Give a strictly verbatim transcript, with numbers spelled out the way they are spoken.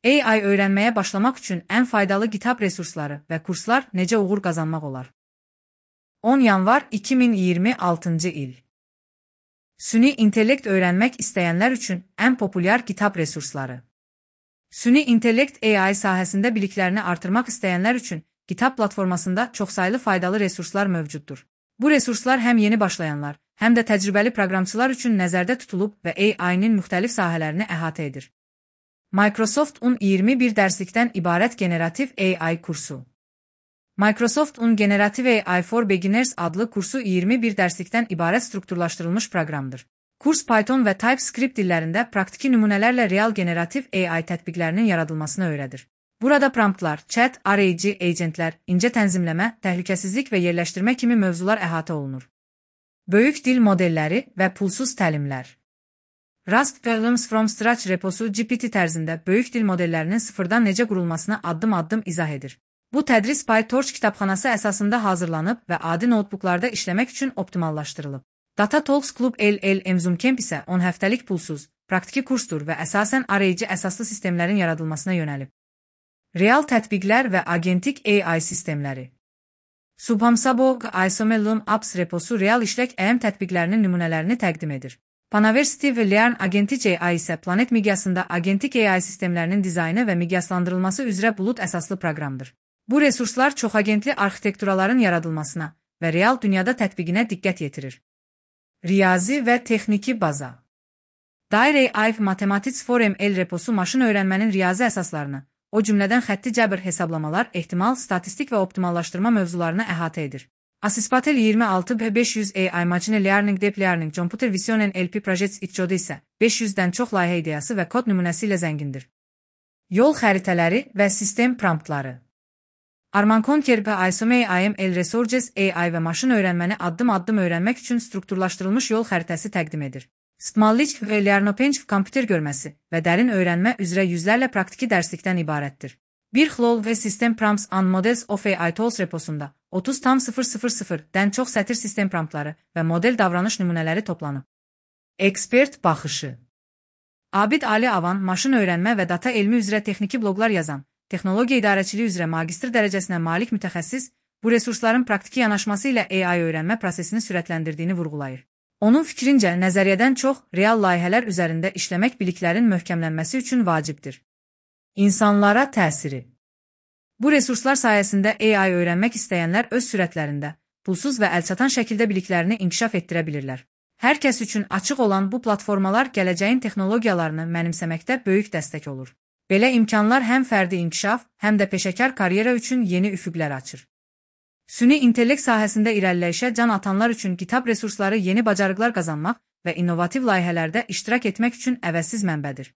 A I öyrənməyə başlamaq üçün ən faydalı GitHub resursları və kurslar necə uğur qazanmaq olar? on yanvar iki min iyirmi altıncı il. Süni intellekt öyrənmək istəyənlər üçün ən populyar GitHub resursları. Süni intellekt A I sahəsində biliklərini artırmaq istəyənlər üçün GitHub platformasında çoxsaylı faydalı resurslar mövcuddur. Bu resurslar həm yeni başlayanlar, həm də təcrübəli proqramçılar üçün nəzərdə tutulub və A I-nin müxtəlif sahələrini əhatə edir. Microsoft on iyirmi bir dərslikdən ibarət generativ A I kursu. Microsoft on Generative A I for Beginners adlı kursu iyirmi bir dərslikdən ibarət strukturlaşdırılmış proqramdır. Kurs Python və TypeScript dillərində praktiki nümunələrlə real generativ A I tətbiqlərinin yaradılmasını öyrədir. Burada promptlar, chat, arayıcı, agentlər, incə tənzimləmə, təhlükəsizlik və yerləşdirmə kimi mövzular əhatə olunur. Böyük dil modelləri və pulsuz təlimlər. Rust Problems from Scratch reposu G P T tərzində böyük dil modellərinin sıfırdan necə qurulmasını addım-addım izah edir. Bu tədris PyTorch kitabxanası əsasında hazırlanıb və adi notebooklarda işləmək üçün optimallaşdırılıb. Data Talks Club L L M Zoom Camp isə on həftəlik pulsuz, praktiki kursdur və əsasən arayıcı əsaslı sistemlərin yaradılmasına yönəlib. Real tətbiqlər və agentik A I sistemləri. Subhamsabo Isomellum Apps reposu real işlək A M tətbiqlərinin nümunələrini təqdim edir. Panaversity və Learn Agentic A I isə planet miqyasında agentik A I sistemlərinin dizaynı və miqyaslandırılması üzrə bulut əsaslı proqramdır. Bu resurslar çoxagentli arxitekturaların yaradılmasına və real dünyada tətbiqinə diqqət yetirir. Riyazi və texniki baza. Dire A I Mathematics for M L reposu maşın öyrənmənin riyazi əsaslarını, o cümlədən xətti cəbr hesablamalar, ehtimal, statistik və optimallaşdırma mövzularını əhatə edir. Asispatel iyirmi altı B beş yüz A I Machine Learning Deep Learning Computer Vision N L P Projects İtcodu isə beş yüzdən çox layihə ideyası və kod nümunəsi ilə zəngindir. Yol xəritələri və sistem promptları. Arman Conker və Isome A M L Resources A I və maşın öyrənməni addım-addım öyrənmək üçün strukturlaşdırılmış yol xəritəsi təqdim edir. Stmallich və Lernopench kompüter görməsi və dərin öyrənmə üzrə yüzlərlə praktiki dərslikdən ibarətdir. Bir xlol və System Prompts and Models of A I Tools reposunda otuz tam sıfır sıfır sıfırdən çox sətir sistem promptları və model davranış nümunələri toplanıb. Ekspert baxışı. Abid Ali Avan maşın öyrənmə və data elmi üzrə texniki bloqlar yazan, texnologiya idarəçiliyi üzrə magistr dərəcəsinə malik mütəxəssis, bu resursların praktiki yanaşması ilə A I öyrənmə prosesini sürətləndirdiyini vurğulayır. Onun fikrincə, nəzəriyyədən çox real layihələr üzərində işləmək biliklərin möhkəmlənməsi üçün vacibdir. İnsanlara təsiri. Bu resurslar sayəsində A I öyrənmək istəyənlər öz sürətlərində, pulsuz və əlçatan şəkildə biliklərini inkişaf etdirə bilirlər. Hər kəs üçün açıq olan bu platformalar gələcəyin texnologiyalarını mənimsəməkdə böyük dəstək olur. Belə imkanlar həm fərdi inkişaf, həm də peşəkar karyera üçün yeni üfüqlər açır. Süni intellekt sahəsində irəliləyişə can atanlar üçün GitHub resursları yeni bacarıqlar qazanmaq və innovativ layihələrdə iştirak etmək üçün əvəzsiz mənbədir.